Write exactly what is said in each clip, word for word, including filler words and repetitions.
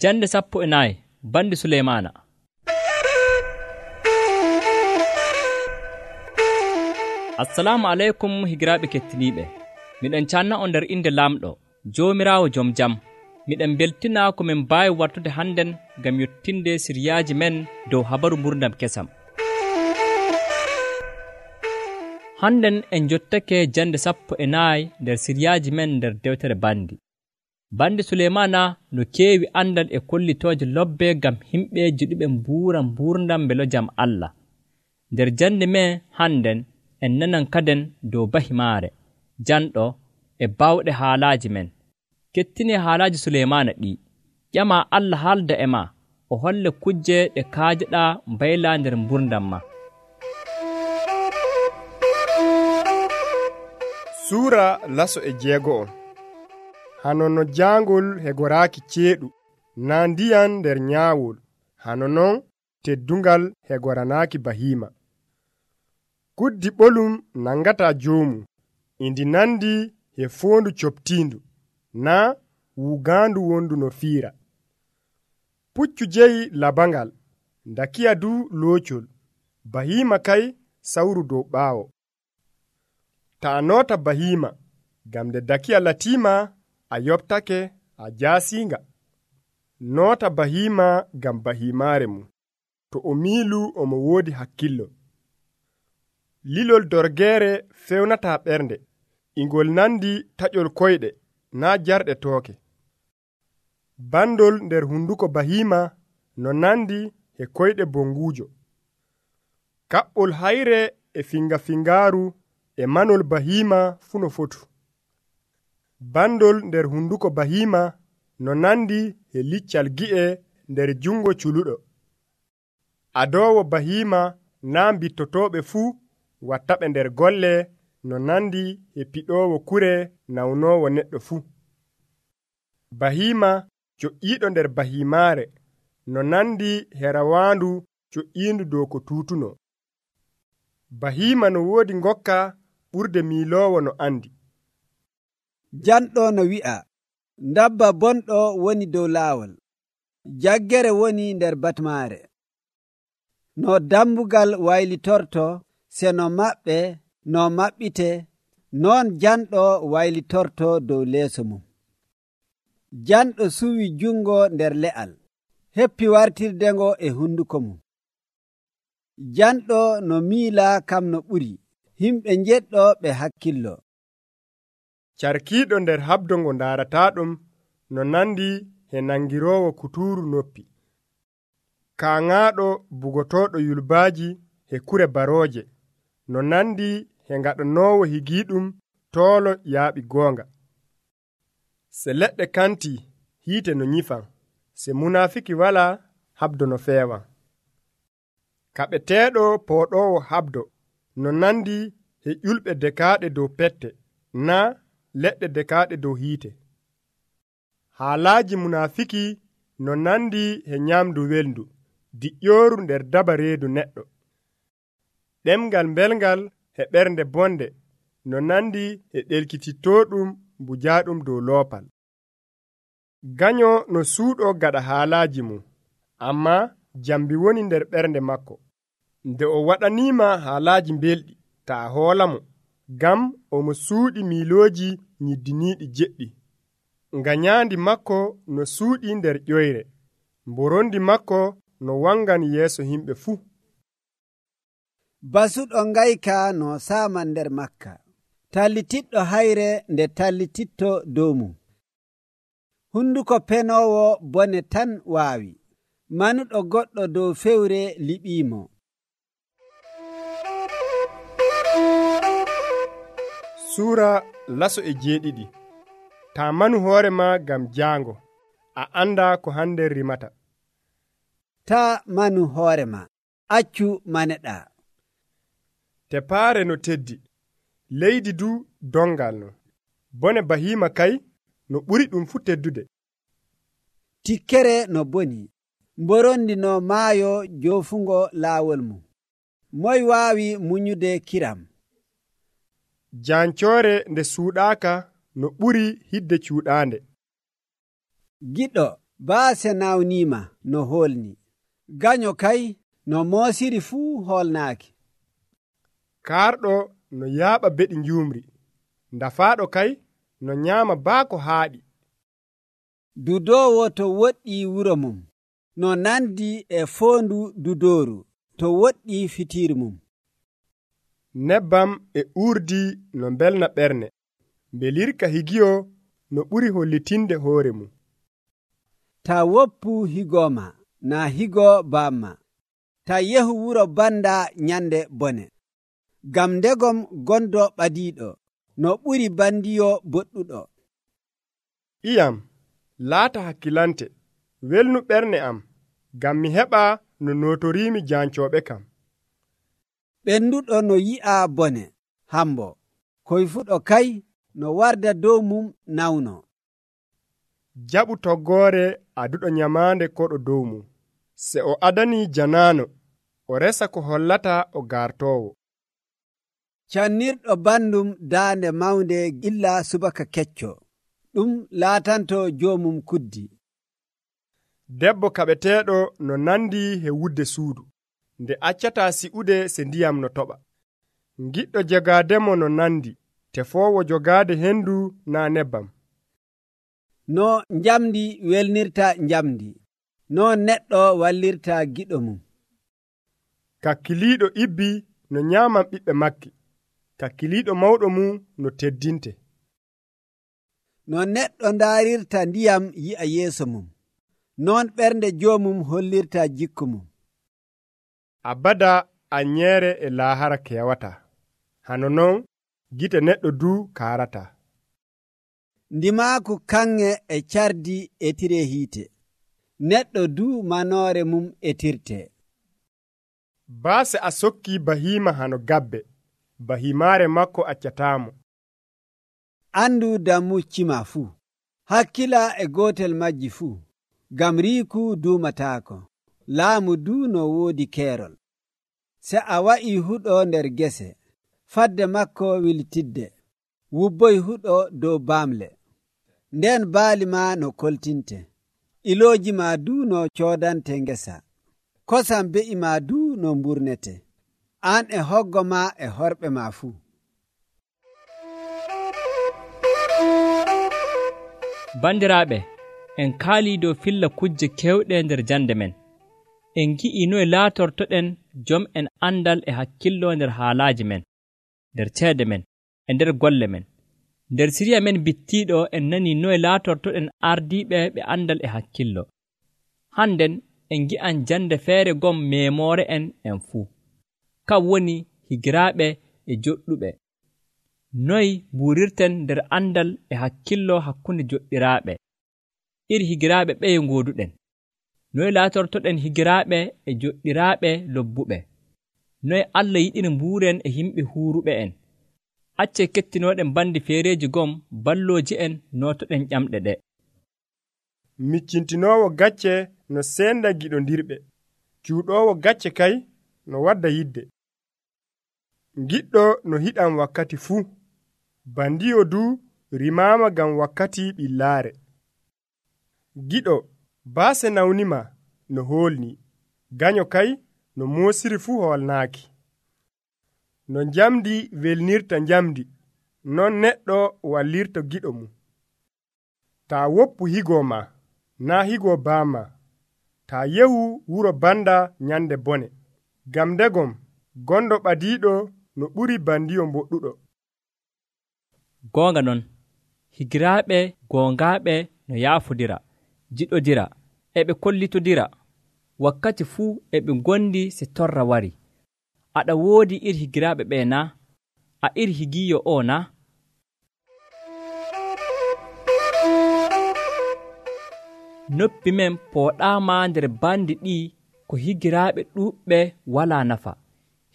Jande sappo e nayi bandi Suleymaana. Assalamu aleykum higiraaɓe kettiniiɓe. Miɗen canna on nder inde Laamɗo, Joomiraawo Jom Jam. Miɗen beltina ko min mbaawi wartude hannden ngam yottinde siryaaji men dow habaru mburdam kesam. Hannden en jottake jande sappo e nayi nder siryaaji men nder dewtere bandi. Bandi Suleymaana no keewi andal e kollitooje lobbe ngam himɓe jiɗuɓe mbuura mburdam mbelo jam Allah. Nder jande men hannden en nanan kaden dow bahimaare, janɗo e bawɗe haalaaji men. Kettinee haalaaji Suleymaana ɗi. Ƴama Allah haalda e ma, o holle kujje ɗe kaajeɗaa mbaylaa nder mburdam ma. Suura laso e jeego'o. Hano no jaangol hegoraaki ceeɗu, naa ndiyam nder nyaawol, hano non teddungal hegoranaaki bahiima. Kuddi ɓolum nangataa joomu, indi nandi e foondu coptiindu, naa wuugaandu wondu no fiira. Puccu jeyi labangal, ndakiya du loocol, bahiima kay sawru dow ɓaawo. Ta a noota bahiima, gam nde dakiya latiima a yoɓtake a jaasiinga. Noota bahiima gam bahiimaare mum, to o miilu omo woodi hakkillo. Lilol dorgeere fewnataa ɓernde, ingol nandi taƴol koyɗe, naa jarɗe tooke. Bandol nder hunduko bahiima no nandi e koyɗe bonguujo. Kaɓɓol hayre e finga-fingaaru e manol bahiima fu no fotu. Bandol nder hunduko bahiima no nandi e liccal gi'e nder jungo culuɗo. Adoowo bahiima naa mbittotooɓe fuu wattaɓe nder golle no nandi e piɗoowo kure nawnoowo neɗɗo fuu. Bahiima coƴƴiiɗo nder bahiimaare no nandi e rawaandu coƴƴiindu dow ko tuutuno. Bahiima no woodi ngokka ɓurde miiloowo no andi. Janɗo no wi'a, ndabba bonɗo woni dow laawol, jaggere woni nder batmaare. No dambugal waylitorto, se no maɓɓe, no maɓɓite, noon janɗo waylitorto dow leeso mum. Janɗo suwi jungo nder le'al, heppi wartirdengo e hunduko mum. Janɗo no miila kam no ɓuri, himɓe njeɗɗo ɓe hakkillo. Carkiiɗo nder habdo ngo ndaarataɗum no nandi e nangiroowo kuturu noppi. Kaaŋaaɗo bugotooɗo yulbaaji e kure barooje no nandi e ngaɗanoowo higiiɗum toolo yaaɓi goonga. Se leɗɗe kanti hiite no nyifan, se munaafiki walaa habdo no feewan. Kaɓeteeɗo pooɗoowo habdo no nandi e ƴulɓe dekaaɗe dow pette, naa leɗɗe dekaaɗe dow hiite. Haalaaji munaafiki no nandi e nyamdu welndu, diƴƴooru nder daba reedu neɗɗo. Ɗemgal mbelngal e ɓernde bonde no nandi e ɗelkitittooɗum mbujaaɗum dow loopal. Ganyo no suuɗo gaɗa haalaaji mum, ammaa jambi woni nder ɓernde makko. Nde o waɗaniima haalaaji mbelɗi, ta a hoolamo, gam omo suuɗi miilooji nyiddiniiɗi jeɗɗi. Ngañaandi makko no suuɗi nder ƴoyre, mborondi makko no wangan yeeso himɓe fuu. Basuɗo ngayka no saaman nder makka, tallitiɗɗo hayre nde tallititto dow mum. Hunduko penoowo bone tan waawi, manuɗo goɗɗo dow fewre liɓiimo. Suura laso e jeeɗiɗi. Ta manu hoore ma gam jaango, a anda ko hande rimata. Ta manu hoore ma, accu maneɗa. Tepaare no teddi, leydi du dongal no. Bone bahiima kay no ɓuri ɗum fu teddude. Tikkere no boni, mborondi no maayo joofungo laawol mum. Moy waawi muñude kiram? Jancoore nde suuɗaaka no ɓuri hidde cuuɗaande. Giɗo baase nawniima no hoolni, ganyo kay no moosiri fuu hoolnaaki. Kaarɗo no yaaɓa beɗi njuumri, ndafaaɗo kay no nyaama baako haaɗi. Dudoowo to woɗɗii wuro mum, no nandi e foondu dudooru to woɗɗii fitiiri mum. Nebbam e uurdi no mbelna ɓernde, mbelirka higiyo no ɓuri hollitinde hoore mum. Ta woppu higooma, naa higoo baamma. Ta yehu wuro banda nyande bone. Gam ndegom gondo ɓadiiɗo, no ɓuri bandiyo boɗɗuɗo. Iyam, laata hakkilante, welnu ɓernde am, gam mi heɓa no nootoriimi jaancooɓe kam. Ɓenduɗo no yi'a bone, hambo, koyfuɗo kay no warda dow mum nawno. Jaɓu toggoore aduɗo nyamaande koɗo dow mum. Se o adanii janaano, o resa ko hollata o gartoowo. Cannirɗo bandum daande mawnde illa subaka kecco, ɗum laatanto joomum kuddi. Debbo kaɓeteeɗo no nandi he wudde suudu, nde accataa si'ude se ndiyam no toɓa. Giɗɗo jogaademo no nandi, tefoowo jogaade hendu naa nebbam. No njamdi welnirta njamdi, no neɗɗo wallirta giɗo mum. Kakkiliiɗo ibbi no nyaaman ɓiɓɓe makki, kakkiliiɗo mawɗo mum no teddinte. No neɗɗo ndaarirta ndiyam yi'a yeeso mum, non ɓernde joomum hollirta jikku mum. Abada anyeere e laahara kewata, hano non gite neɗɗo du kaarata. Ndimaaku kanŋe e cardi etire hiite, neɗɗo du manoore mum etirte. Baase a sokki bahiima hano gabbe, bahimaare makko accataamo. Andu dammuccima fuu, hakkila e gootel majji fuu, gam riiku duumataako, laamu du no woodi keerol. Se a wa'i huɗo nder gese, fadde makko wiltidde, wubboy huɗo dow baamle. Nden baali ma no koltinte, ilooji ma du no coodante ngesa, kosam be'i ma du no mburnete, an e hoggo ma e horɓe ma fuu. Bandiraaɓe, en kaalii dow filla kujje kewɗe nder jande men. En gi'i noye laatortoɗen jom en andal e hakkillo nder haalaaji men, nder ceede men, e nder golle men. Nder siriya men bittiiɗo en nani noye laatortoɗen ardiiɓe ɓe andal e hakkillo. Hannden en gi'an jande feere gom meemoore en en fuu. Kam woni higiraaɓe e joɗɗuɓe. Noy buurirten nder andal e hakkillo hakkunde joɗɗiraaɓe. Iri higiraaɓe ɓeye ngooduɗen. Noy laatortoɗen higiraaɓe e joɗɗiraaɓe lobbuɓe. Noy Allah yiɗiri mbuuren e yimɓe huuruɓe en. Acce kettinooɗen bandi feereeji gom ballooji en nootoɗen ƴamɗe ɗe. Miccintinoowo gacce no seenda giɗondirɓe, cuuɗoowo gacce kay no wadda yidde. Giɗɗo no hiɗan wakkati fuu, bandiyo du rimaama gam wakkati ɓillaare. Giɗo baase nawnima no hoolni, ganyo kay no moosiri fuu hoolnaaki. No njamdi welnirta njamdi, non neɗɗo wallirta giɗo mum. Taa woppu higoo ma, naa higoo baama. Taa yehu wuro banda nyande bone, gam ndegom gondo ɓadiiɗo no ɓuri bandiyo mboɗɗuɗo. Goonga non, higiraaɓe goongaaɓe no yaafodira, jiɗodira, eɓe kollitodira, wakkati fuu eɓe gondi se torra wari. Aɗa woodi iri higiraaɓe ɓe na? A iri higiyo o na? Noppi men pooɗaama nder bandi ɗi ko higiraaɓe ɗuuɓɓe walaa nafa.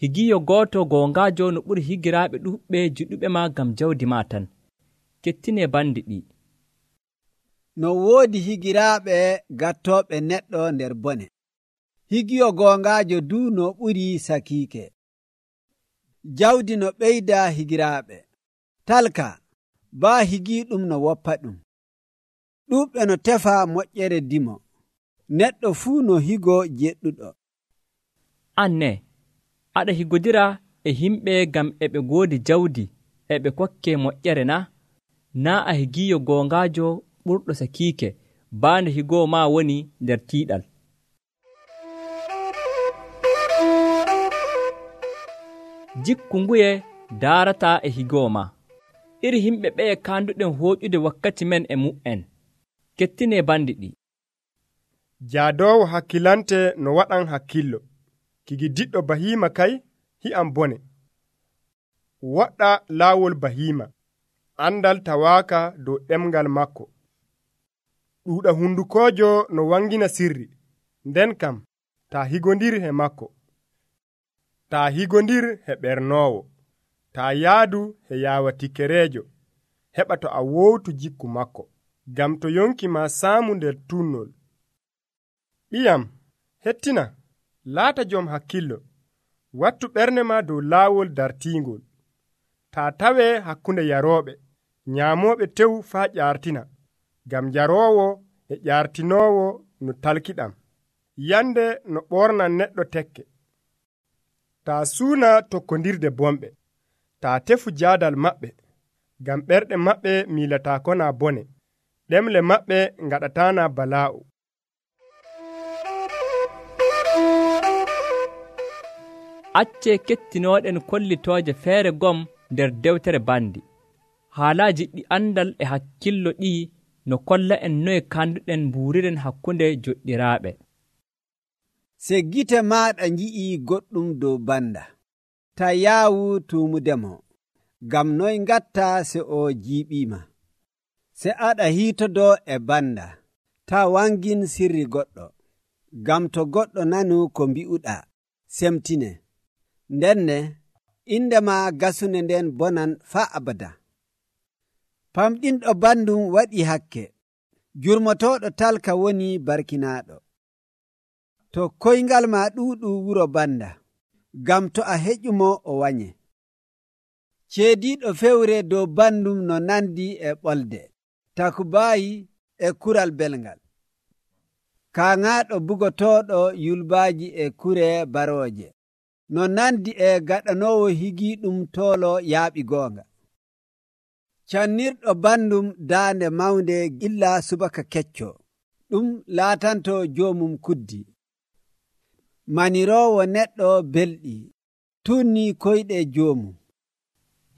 Higiyo gooto goongaajo no ɓuri higiraaɓe ɗuuɓɓe jiɗuɓe ma gam jawdi ma tan. Kettine bandi ɗi. No woodi higiraaɓe gattooɓe neɗɗo nder bone. Higiyo goongaajo du no ɓuri sakiike. Jawdi no ɓeyda higiraaɓe. Talka, baa higiiɗum no woppa ɗum. ɗuuɓɓe no tefa moƴƴere dimo, neɗɗo fuu no higo jeɗɗuɗo. An ne, aɗa higodira e himɓe ngam e ɓe ngoodi jawdi e ɓe kokke moƴƴere na? Naa a higiiyo goongaajo ɓurɗo sakiike, baande higoo maa woni nder tiiɗal. Jikku nguye daarataa e higoo maa. Iri himɓe ɓeye kaanduɗen hooƴude wakkati men e mu'en. Kettinee bandi ɗi. Jaadoowo hakkilante no waɗan hakkillo. Kigi diɗɗo bahiima kay hi'am bone. Waɗɗa laawol bahiima. Andal tawaaka dow ɗemgal makko. Ɗuuɗa hundukoojo no wangina sirri. Nden kam taa higondir he makko. Taa higondir he ɓernoowo. Taa yaadu he yaawatikereejo. Heɓa to a wowtu jikku makko. Gam to yonki ma saamu nder tunnol. Ɓiyam, hettina, laata jom hakkillo. Wattu ɓerne ma dow laawol dartiingol. Taa tawee hakkunde yarooɓe, nyaamooɓe tew faa ƴaartina. Gam jaroowo e ƴaartinoowo no talkiɗam. Yande no ɓornan neɗɗo tekke. Taa suuna tokkondirde bomɓe. Taa tefu jaadal maɓɓe. Gam ɓerɗe maɓɓe miilataa naa bone. Ɗemle maɓɓe ngaɗataana balaa'u. Accee kettinooɗen kollitooje feere gom nder dewtere bandi. Haalaaji ɗi andal e hakkillo ɗi no kolla en noye kanduɗen mbuuriren hakkunde joɗɗiraaɓe. Se gite maaɗa nji'ii goɗɗum dow banda, ta yaawu tuumudemo, gam noy ngatta se o jiiɓiima. Se aɗa hiitodoo e banda, ta wangin sirri goɗɗo, gam to goɗɗo nanu ko mbi'uɗaa, semtine. Ndenne, inde ma gasune nden bonan faa abada. Famɗinɗo bandum waɗi hakke, jurmotooɗo talka woni barkinaaɗo. To koyngal ma ɗuuɗu wuro banda, gam to a heƴumo o wanye. Ceediiɗo fewre dow bandum no nandi e ɓolde, takubaayi e kural belngal. Kaaŋaaɗo bugotooɗo yulbaaji e kure barooje, no nandi e gaɗanoowo higiiɗum toolo yaaɓi goonga. Cannirɗo bandum daande mawnde illa subaka kecco, ɗum laatanto joomum kuddi. Maniroowo neɗɗo belɗi, tunni koyɗe joomum.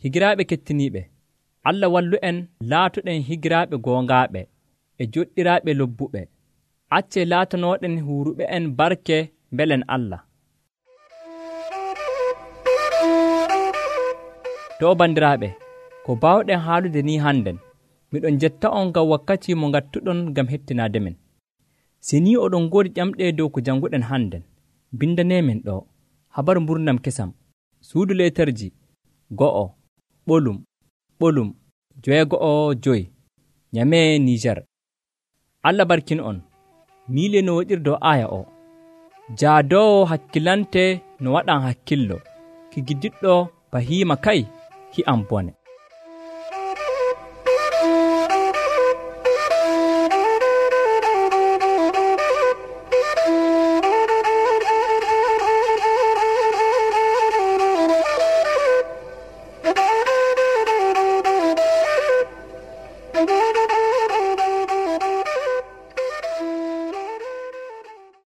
Higiraaɓe kettiniiɓe, Allah wallu en laatuɗen higiraaɓe goongaaɓe e joɗɗiraaɓe lobbuɓe. Accee laatanooɗen huuruɓe en barke mbelen Allah. To bandiraaɓe, ko baawɗen haalude ni hannden, miɗon jetta on ngam wakkati mo ngattuɗon ngam hettinaade men. Si ni oɗon ngoodi ƴamɗe dow ko jannguɗen hannden, bindaneemen ɗo habaru mburnam kesam, suudu leetarji go'o ɓolum ɓolum joweego'o joyi, Nyame Niger. Allah barkin on. Miile no woɗirdo aya o. Jaadoowo hakkilante no waɗan hakkillo, ki giddiɗɗo bahiima kay hi'am bone.